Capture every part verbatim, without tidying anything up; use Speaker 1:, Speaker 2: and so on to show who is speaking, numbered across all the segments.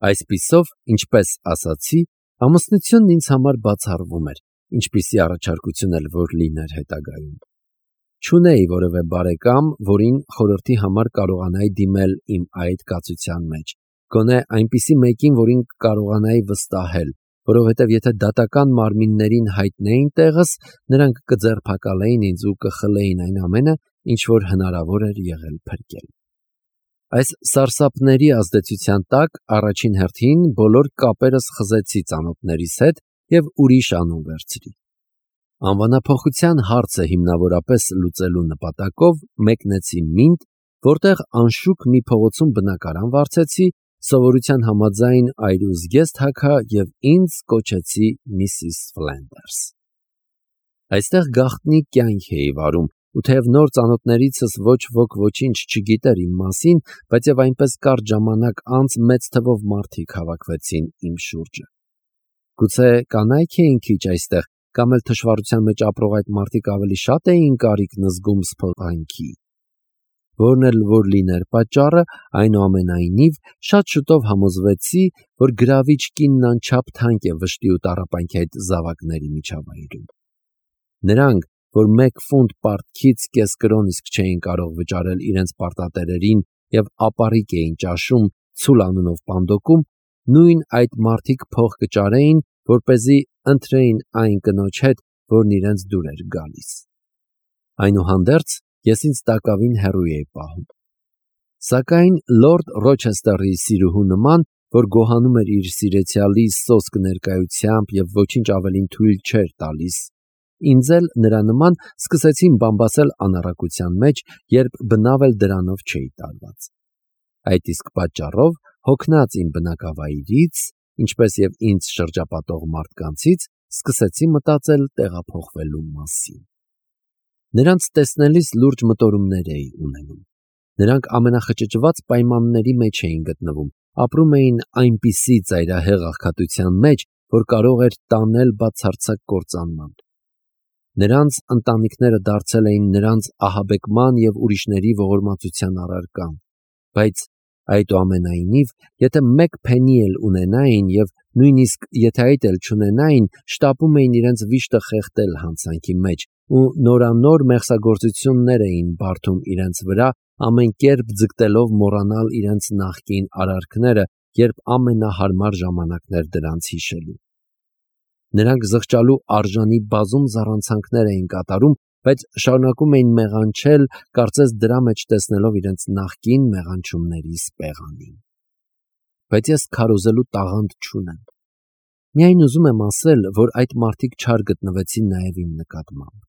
Speaker 1: Այսպիսով, ինչպես ասացի, ամուսնությունն ինձ համար բացառվում էր, ինչպիսի առաջարկություն էլ որ լիներ հետագայում։ Չունեի որևէ բարեկամ, որին խորհրդի համար կարողանայի դիմել իմ այդ կացության մեջ, գոնե այնպիսի մեկին, որին կարողանայի վստահել, որովհետև եթե դատական մարմիններին հայտնեին տեղս, նրանք կձերբակալեին ինձ ու կխլեին այն ամենը, ինչ որ հնարավոր էր եղել փրկել։ Այս սարսափների ազդեցության տակ առաջին հերթին բոլոր կապերս խզեցի ծանոթներիս հետ և ուրիշ անուն վերցրի։ Անվանափոխության հարցը հիմնավորապես լուծելու նպատակով մեկնեցի Մինդ, որտեղ անշուք մի փողոցում բնակարան վարձեցի, սովորության համաձայն այրուզ գեսթ հագա և ինձ կոչեցի Միսիս Ֆլենդերս։ Այստեղ գաղտնի կյանք էի վարում, ու թեև նոր ծանոթներիցս ոչ ոք ոչինչ չգիտեր իմ մասին, բայց և այնպես կարճ ժամանակ անց մեծ թվով մարդիկ հավաքվեցին իմ շուրջը։ Գուցե կանայք էին քիչ այստեղ, կամ էլ թշվառության մեջ ապրող այդ մարդիկ ավելի շատ էին կարիքն զգում սփոփանքի։ Որն էլ որ լիներ պատճառը, այնուամենայնիվ շատ շուտով համոզվեցի, որ գրավիչ կինն անչափ թանկ է վշտի ու տառապանքի այդ զավակների միջավայրում։ Նրանք, որ մեկ ֆունտ պարտքից կես կրոն իսկ չէին կարող վճարել իրենց պարտատերերին և ապառիկ էին ճաշում ցուլ անունով պանդոկում, նույն այդ մարդիկ փող կճարեին, որպեսզի ընթրեին այն կնոջ հետ, որն իրենց դուր էր գալիս։ Այնուհանդերձ, ես ինձ տակավին հեռու էի պահում։ Սակայն լորդ Ռոչեսթերի սիրուհու նման, որ գոհանում էր իր սիրեցյալի սոսկ ներկայությամբ և ոչինչ ավելին թույլ չէր տալիս, ինձ էլ նրա նման սկսեցին բամբասել անառակության մեջ, երբ բնավ էլ դրանով չէի տարված։ Այդ իսկ պատճառով, հոգնած իմ բնակավայրից, ինչպես և ինձ շրջապատող մարդկանցից, սկսեցի մտածել տեղափոխվելու մասին։ Նրանց տեսնելիս լուրջ մտորումներ էի ունենում։ Նրանք ամենախճճված պայմանների մեջ էին գտնվում, ապրում էին այնպիսի ծայրահեղ աղքատության մեջ, որ կարող էր տանել բացարձակ կործանման։ Նրանց ընտանիքները դարձել էին նրանց ահաբեկման և ուրիշների ողորմածության առարկան, բայց այդուամենայնիվ, եթե մեկ փենի էլ ունենային և նույնիսկ եթե այդ էլ չունենային, շտապում էին իրենց վիշտը խեղդել հանցանքի մեջ ու նորանոր մեղսագործություններ էին բարդում իրենց վրա, ամեն կերպ ձգտելով մոռանալ իրենց նախկին արարքները, երբ ամենահարմար ժամանակն էր դրանց հիշելու։ Նրանք զղջալու արժանի բազում զառանցանքներ էին կատարում, բայց շարունակում էին մեղանչել, կարծես դրա մեջ տեսնելով իրենց նախկին մեղանչումների սպեղանին։ Բայց ես քարոզելու տաղանդ չունեմ։ Միայն ուզում եմ ասել, որ այդ մարդիկ չար գտնվեցին նաև իմ նկատմամբ։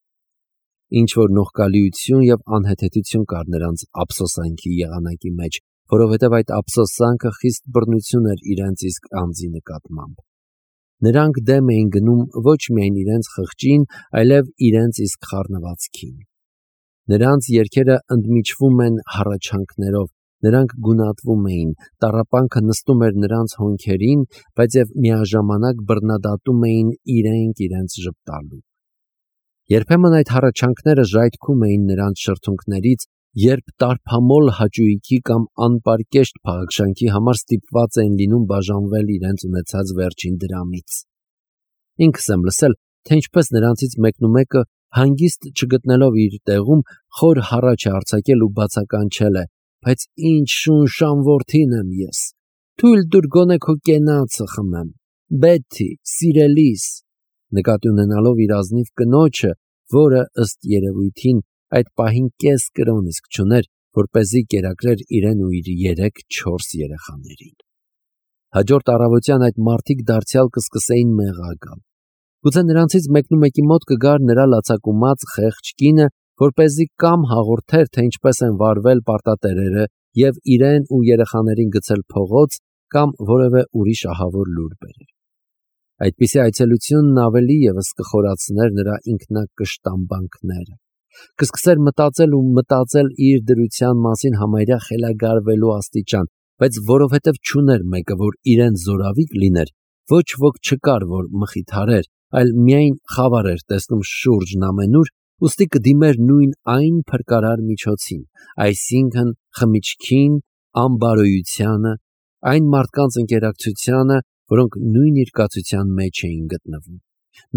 Speaker 1: Ինչ-որ նողկալիություն և անհեթեթություն կար նրանց ափսոսանքի եղանակի մեջ, որովհետև այդ ափսոսանքը խիստ բռնություն էր իրենց իսկ անձի նկատմամբ։ Նրանք դեմ էին գնում ոչ միայն իրենց խղճին, այլև իրենց իսկ խառնվածքին։ Նրանց երգերը ընդմիջվում են հառաչանքներով, նրանք գունատվում էին, տառապանքը նստում էր նրանց հոնքերին, բայց և միաժամանակ բռնադատում էին իրենք իրենց ժպտալու։ Երբեմն այդ հառաչանքները ժայթքում էին նրանց շրթունքներից, երբ տարփամոլ հաճույքի կամ անպարկեշտ փաղաքշանքի համար ստիպված էին լինում բաժանվել իրենց ունեցած վերջին դրամից։ Ինքս եմ լսել, թե ինչպես նրանցից մեկնումեկը, հանգիստ չգտնելով իր տեղում, խոր հառաչ է արձակել ու բացականչել է. «Բայց ինչ շունշան որդին եմ ես, թույլ տուր գոնե քո կենացը խմեմ, Բեթի, սիրելիս», նկատի ունենալով իր ազնիվ կնոջը, որը ըստ երևույթին այդ պահին կես կրոն իսկ չուներ, որպեսզի կերակրեր իրեն ու իր երեք-չորս երեխաներին։ Հաջորդ առավոտյան այդ մարդիկ դարձյալ կսկսեին մեղա գալ։ Գուցե նրանցից մեկնումեկի մոտ կգար նրա լացակումած խեղճ կինը, որպեսզի կամ հաղորդեր, թե ինչպես են վարվել պարտատերերը և իրեն ու երեխաներին գցել փողոց, կամ որևէ ուրիշ ահավոր լուր բերեր։ Այդպիսի այցելությունն ավելի ևս կխորացներ նրա ինքնակշտամբանքները, կսկսեր մտածել ու մտածել իր դրության մասին համարյա խելագարվելու աստիճան, բայց որովհետև չուներ մեկը, որ իրեն զորավիկ լիներ, ոչ ոք չկար, որ մխիթարեր, այլ միայն խավար էր տեսնում շուրջն ամենուր, ուստի կդիմեր նույն այն փրկարար միջոցին, այսինքն խմիչքին, անբարոյությանը, այն մարդկանց ընկերակցությանը, որոնք նույն երկացության մեջ էին գտնվում։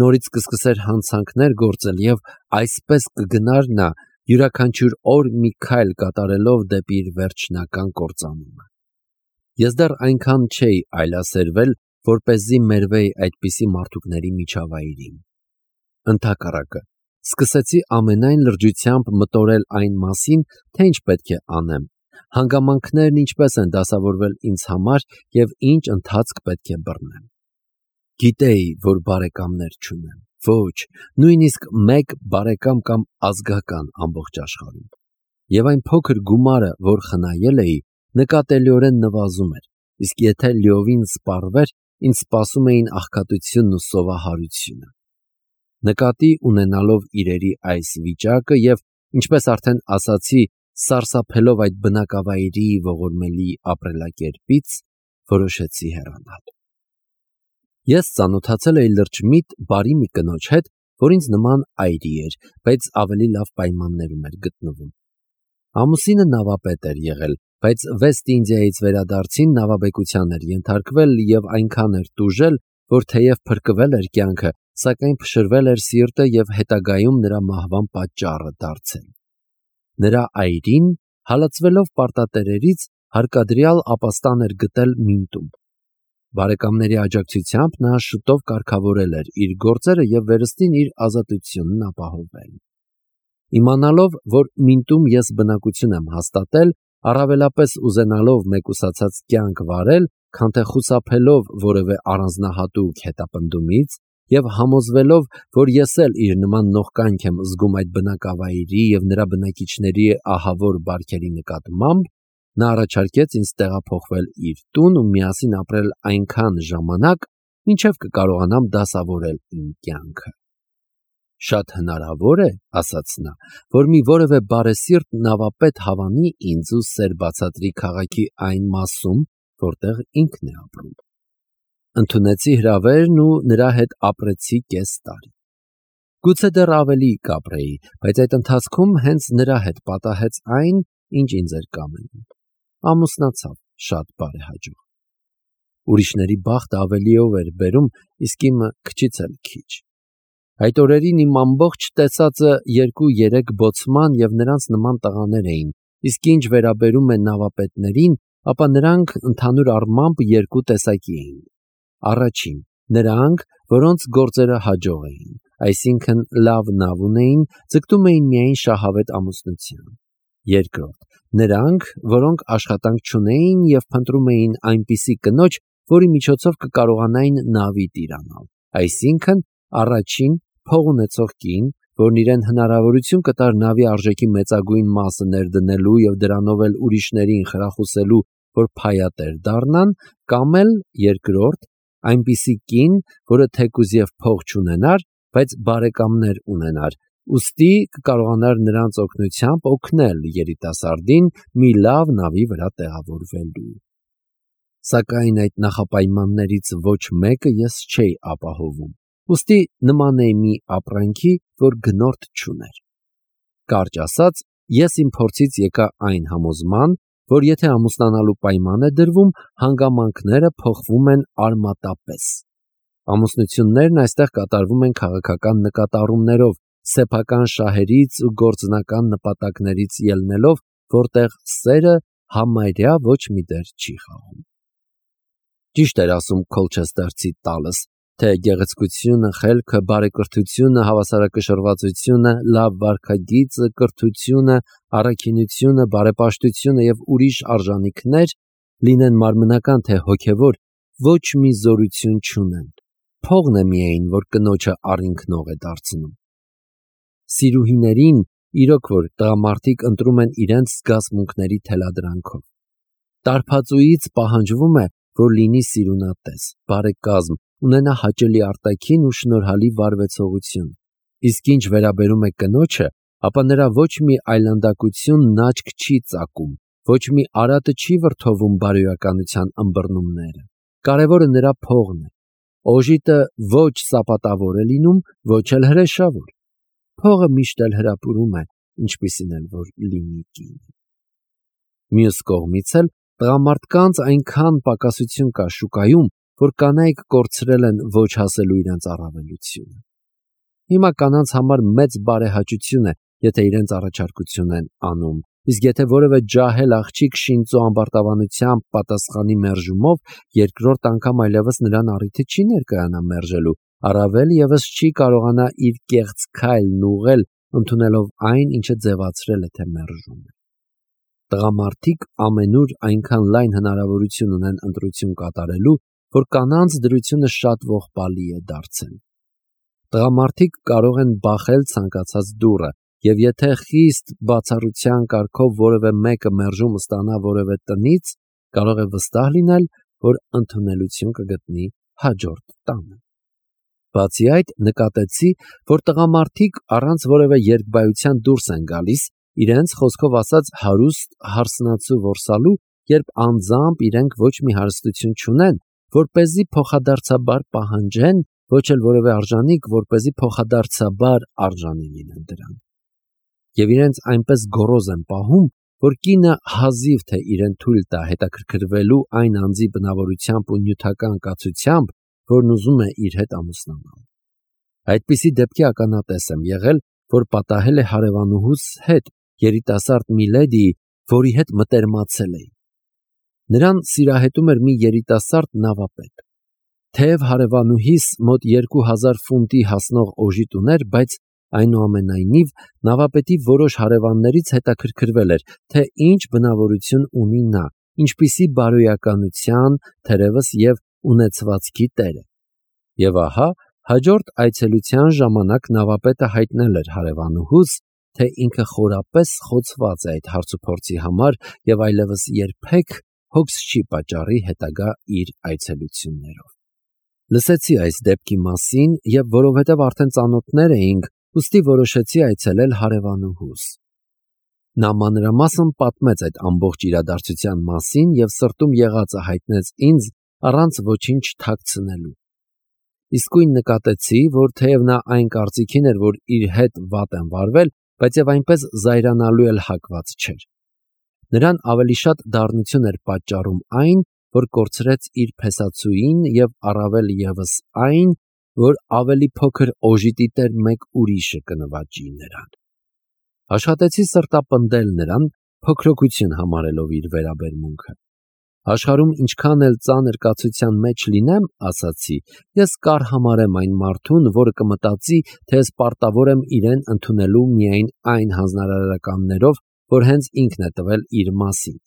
Speaker 1: Նորից կսկսեր հանցանքներ գործել եւ այսպես կգնար նա յուրաքանչյուր օր մի քայլ կատարելով դեպի իր վերջնական կործանումը։ Ես դեռ այնքան չէի այլասերվել, որպեսզի մերվեի այդպիսի մարդուկների միջավայրին։ Ընդհակառակը, սկսեցի ամենայն լրջությամբ մտորել այն մասին, թե ինչ պետք է անեմ, հանգամանքներն ինչպես են դասավորվել ինձ համար եւ ինչ ընթացք պետք է բռնեմ։ Գիտեի, որ բարեկամներ չունեմ, ոչ, նույնիսկ մեկ բարեկամ կամ ազգական ամբողջ աշխարհում։ Եվ այն փոքր գումարը, որ խնայել էի, նկատելիորեն նվազում էր, իսկ եթե լիովին սպառվեր, ինձ սպասում էին աղքատությունն ու սովահարությունը։ Նկատի ունենալով իրերի այս վիճակը եւ, ինչպես արդեն ասացի, սարսափելով այդ բնակավայրի ողորմելի ապրելակերպից, որոշեցի հեռանալ։ Ես ծանոթացել էի լրջմիտ բարի մի կնոջ հետ, որ ինձ նման այրի էր, բայց ավելի լավ պայմաններում էր գտնվում։ Ամուսինը նավապետ էր եղել, բայց Վեստ Ինդիայից վերադարձին նավաբեկության էր ենթարկվել եւ այնքան էր տուժել, որ թեև փրկվել էր կյանքը, սակայն փշրվել էր սիրտը եւ հետագայում նրա մահվան պատճառը դարձել։ Նրա այրին, հալածվելով պարտատերերից, հարկադրյալ ապաստան էր գտել Մինտում։ Բարեկամների աջակցությամբ նա շուտով կարգավորել էր իր գործերը եւ վերստին իր ազատությունն ապահովել։ Իմանալով, որ Մինտում ես բնակություն եմ հաստատել, առավելապես ուզենալով մեկուսացած կյանք վարել, քան թե խուսափելով որևէ առանձնահատուկ հետապնդումից եւ համոզվելով, որ ես էլ իր նման նողկանք եմ զգում այդ բնակավայրի եւ նրա բնակիչների ահավոր բարքերի նկատմամբ, նա առաջարկեց ինձ տեղափոխվել իր տուն ու միասին ապրել այնքան ժամանակ, մինչև կկարողանամ դասավորել իմ կյանքը։ Շատ հնարավոր է, ասաց նա, որ մի որևէ բարեսիրտ նավապետ հավանի ինձ ու սեր բացատրի քաղաքի այն մասում, որտեղ ինքն է ապրում։ Ընդունեցի հրավերն ու նրա հետ ապրեցի կես տարի։ Գուցե դեռ ավելի կապրեի, բայց այդ ընթացքում հենց նրա հետ պատահեց այն, ինչ ինձ էր կամենում։ Ամուսնացավ շատ բարեհաջող։ Ուրիշների բախտը ավելիով էր բերում, իսկ իմը քչից էլ քիչ։ Այդ օրերին իմ ամբողջ տեսածը երկու-երեք բոցման եւ նրանց նման տղաներ էին, իսկ ինչ վերաբերում է նավապետներին, ապա նրանք ընդհանուր առմամբ երկու տեսակի էին։ Առաջին, նրանք, որոնց գործերը հաջող էին, այսինքն լավ նավ ունեին, ձգտում էին միայն շահավետ ամուսնության։ Երկրորդ, նրանք, որոնք աշխատանք չունեին եւ փնտրում էին այնպիսի կնոջ, որի միջոցով կկարողանային նավի տիրանալ, այսինքն առաջին փող ունեցող կին, որն իրեն հնարավորություն կտար նավի արժեքի մեծագույն մասը ներդնելու եւ դրանով էլ ուրիշներին խրախուսելու, որ փայատեր դառնան, կամ էլ երկրորդ, այնպիսի կին, որը թեկուզ եւ փող չունենար, բայց բարեկամներ ունենար, ուստի կկարողանար նրանց օգնությամբ օգնել երիտասարդին մի լավ նավի վրա տեղավորվելու։ Սակայն այդ նախապայմաններից ոչ մեկը ես չէի ապահովում, ուստի նման էի մի ապրանքի, որ գնորդ չուներ։ Կարճ ասած, ես իմ փորձից եկա այն համոզման, որ եթե ամուսնանալու պայման է դրվում, հանգամանքները փոխվում են արմատապես։ Ամուսնություններն այստեղ կատարվում են քաղաքական նկատառումներով, սեփական շահերից ու գործնական նպատակներից ելնելով, որտեղ սերը համարյա ոչ մի դեր չի խաղում։ Ճիշտ էր ասում Քոլչեստերցի տալս, թե գեղեցկությունը, խելքը, բարեկրթությունը, հավասարակշռվածությունը, լավ վարքագիծը, կրթությունը, առաքինությունը, բարեպաշտությունը եւ ուրիշ արժանինքներ, լինեն մարմնական թե հոգեվոր, ոչ մի զորություն չունեն։ Փողն է միայն, որ կնոջը առինքնող է դարձնում։ Սիրուհիներին, իրոք որ տղամարդիկ ընտրում են իրենց զգացմունքների թելադրանքով։ Տարբացուից պահանջվում է, որ լինի սիրունատես, բարեկազմ, ունենա հաճելի արտաքին ու շնորհալի վարվեցողություն։ Իսկ ինչ վերաբերում է կնոջը, ապա նրա ոչ մի այլանդակություն աչք չի ծակում, ոչ մի արատը չի վրդովում բարոյականության ըմբռնումները։ Կարևորը նրա փողն է։ Օժիտը ոչ սապատավոր է լինում, ոչ էլ հրեշավոր։ Փողը միշտ էլ հրապուրում է, ինչպիսին էլ որ լինի կին։ Մյուս կողմից էլ Տղամարդկանց այնքան պակասություն կա շուկայում, որ կանայք կորցրել են ոչ հասելու իրենց առավելությունը։ Հիմա կանանց համար մեծ բարեհաճություն է, եթե իրենց առաջարկություն են անում, իսկ եթե որևէ ջահել աղջիկ շինծո ամբարտավանությամբ պատասխանի մերժումով, երկրորդ անգամ այլևս նրան առիթը չի ներկայանա մերժելու, առավել ևս չի կարողանա իր կեղծ քայլն ուղղել, ընդունելով այն, ինչը ձևացրել է, թե մերժում է։ Տղամարդիկ ամենուր այնքան լայն հնարավորություն ունեն ընտրություն կատարելու, որ կանանց դրությունը շատ ողբալի է դարձել։ Տղամարդիկ կարող են բախել ցանկացած դուռը, եւ եթե խիստ բացառության կարգով որևէ մեկը մերժում ստանա որևէ տնից, կարող է վստահ լինել, որ ընդունելություն կգտնի հաջորդ տանը։ Բացի այդ, նկատեցի, որ տղամարդիկ առանց որևէ երկբայության դուրս են գալիս, իրենց խոսքով ասած հարուստ հարսնացու որսալու, երբ անձամբ իրենք ոչ մի հարստություն չունեն, որպեսզի փոխադարձաբար պահանջեն, ոչ էլ որևէ արժանիք, որպեսզի փոխադարձաբար արժանի լինեն դրան։ Եվ իրենց այնպես գոռոզ են պահում, որ կինը հազիվ թե իրեն թույլ տա հետաքրքրվելու այն անձի բնավորությամբ ու նյութական կացությամբ, որն ուզում է իր հետ ամուսնանալ։ Այդպիսի դեպքի ականատես եմ եղել, որ պատահել է հարևանուհուս հետ, երիտասարդ մի լեդիի, որի հետ մտերմացել էի։ Նրան սիրահետում էր մի երիտասարդ նավապետ։ Թեև հարևանուհիս մոտ երկու հազար ֆունտի հասնող օժիտ ուներ, բայց այնուամենայնիվ նավապետի որոշ հարևաններից հետաքրքրվել էր, թե ինչ բնավորություն ունի նա, ինչպիսի բարոյականության, թերևս և ունեցվածքի տեր է։ Եվ ահա, հաջորդ այցելության ժամանակ նավապետը հայտնել էր հարևանուհուս, թե ինքը խորապես խոցված է այդ հարցուփորձի համար և այլևս երբեք հոգս չի պատճառի հետագա իր այցելություններով։ Լսեցի այս դեպքի մասին և որովհետև արդեն ծանոթներ էինք, ուստի որոշեցի այցելել հարևանուհուս։ Նա մանրամասն պատմեց այդ ամբողջ իրադարձության մասին և սրտում եղածը հայտնեց ինձ առանց ոչինչ թաքցնելու։ Իսկույն նկատեցի, որ թեև նա այն կարծիքին էր, որ իր հետ վատ են վարվել, բայց և այնպես զայրանալու էլ հակված չէր։ Նրան ավելի շատ դառնություն էր պատճառում այն, որ կորցրեց իր փեսացուին և առավել ևս այն, որ ավելի փոքր օժիտի տեր մեկ ուրիշը կնվաճի նրան։ Աշխատեցի սրտապնդել նրան, փոքրοκություն համարելով իր վերաբերմունքը։ Աշխարհում ինչքան էլ ծանր կացության մեջ լինեմ, ասացի, ես կարհամարեմ այն մարդուն, որը կմտածի, թե ես պարտավոր եմ իրեն ընդունելու միայն այն հանձնարարականներով, որ հենց ինքն է տվել իր մասին։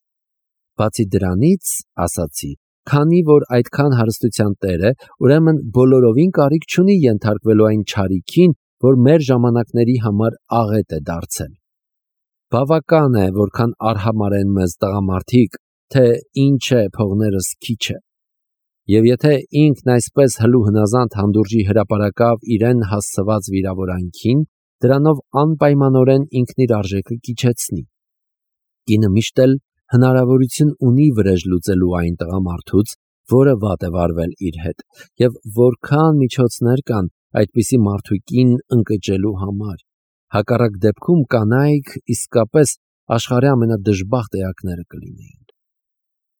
Speaker 1: Բացի դրանից, ասացի, քանի որ այդքան հարստության տեր է, ուրեմն բոլորովին կարիք չունի ենթարկվելու այն չարիքին, որ մեր ժամանակների համար աղետ է դարձել։ Բավական է, որքան արհամարեն մեզ տղամարդիկ, թե ինչ է փողներս քիչ է։ Եվ եթե ինքն այսպես հլու հնազանդ հանդուրժի հրապարակավ իրեն հասցված վիրավորանքին, դրանով անպայմանորեն ինքն իր արժեքը կիչեցնի։ Կինը միշտ էլ հնարավորություն ունի վրեժ լուծելու այն տղամարդուց, որը վատ է վարվել իր հետ, եւ որքան միջոցներ կան այդպիսի մարդուկին ընկճելու համար։ Հակառակ դեպքում կանայք իսկապես աշխարհի ամենադժբախտ էակները կլինեին։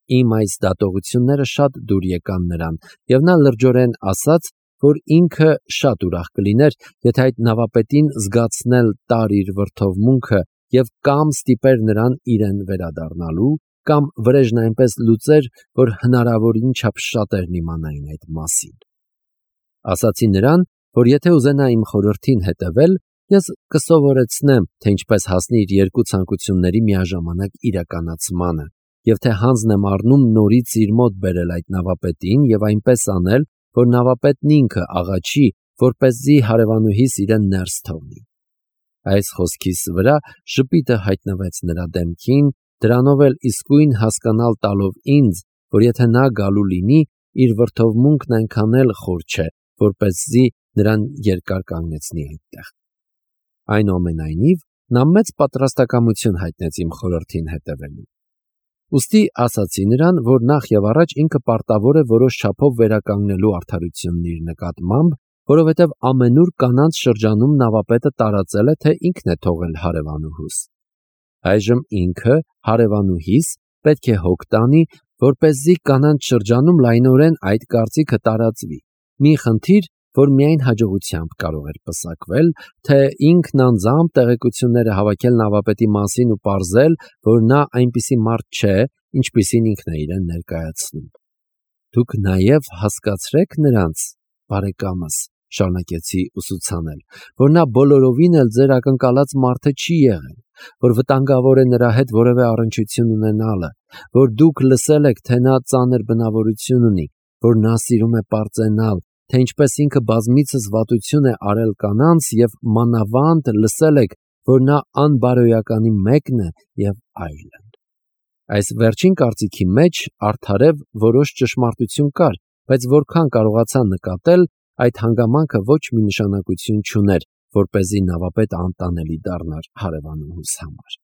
Speaker 1: Իմ այս դատողությունները շատ դուր եկան նրան, եւ նա լրջորեն ասաց, որ ինքը շատ ուրախ կլիներ, եթե այդ նավապետին զգացնել տար իր վրդովմունքը եւ կամ ստիպեր նրան իրեն վերադառնալու, կամ վրեժն այնպես լուծեր, որ հնարավորին չափ շատերն իմանային այդ մասին։ Ասացի նրան, որ եթե ուզենա իմ խորհրդին հետևել, ես կսովորեցնեմ, թե ինչպես հասնի իր երկու ցանկությունների միաժամանակ իրականացմանը, եւ թե հանձն եմ առնում նորից իր մոտ բերել այդ նավապետին եւ այնպես անել, որ նավապետն ինքը աղաչի, որպեսզի հարևանուհիս իրեն ներս թողնի։ Այս խոսքիս վրա ժպիտը հայտնվեց նրա դեմքին, դրանով էլ իսկույն հասկանալ տալով ինձ, որ եթե նա գալու լինի, իր վրդովմունքն այնքան էլ խոր չէ, որպեսզի նրան երկար կանգնեցնի այդտեղ։ Այնուամենայնիվ, նա մեծ պատրաստակամություն հայտնեց իմ խորհրդին հետևելու։ Ուստի ասացի նրան, որ նախ եւ առաջ ինքը պարտավոր է որոշ չափով վերականգնելու արդարությունն իր նկատմամբ, որովհետև ամենուր կանանց շրջանում նավապետը տարածել է, թե ինքն է թողել հարևանուհուս։ Այժմ ինքը, հարևանուհիս, պետք է հոգ տանի, որպեսզի կանանց շրջանում լայնորեն այդ կարծիքը տարածվի։ Մի խնդիր, որ միայն հաջողությամբ կարող էր պսակվել, թե ինքն անձամբ տեղեկությունները հավաքել նավապետի մասին ու պարզել, որ նա այնպիսի մարդ չէ, ինչպիսին ինքն է իրեն ներկայացնում։ Դուք նաև հասկացրեք նրանց, բարեկամս, շարունակեցի ուսուցանել, որ նա բոլորովին էլ ձեր ակնկալած մարդը չի եղել, որ վտանգավոր է նրա հետ որևէ առնչություն ունենալը, որ դուք լսել եք, թե նա ծանր բնավորություն ունի, որ նա սիրում է պարծենալ, թե ինչպես ինքը բազմիցս վատություն է արել կանանց և մանավանդ լսել եք, որ նա անբարոյականի մեկն է և այլն։ Այս վերջին կարծիքի մեջ արդարև որոշ ճշմարտություն կար, բայց որքան կարողացա նկատել, այդ հանգամանքը ոչ մի նշանակություն չուներ, որպեսզի նավապետը անտանելի դառնար հարևանուհուս համար։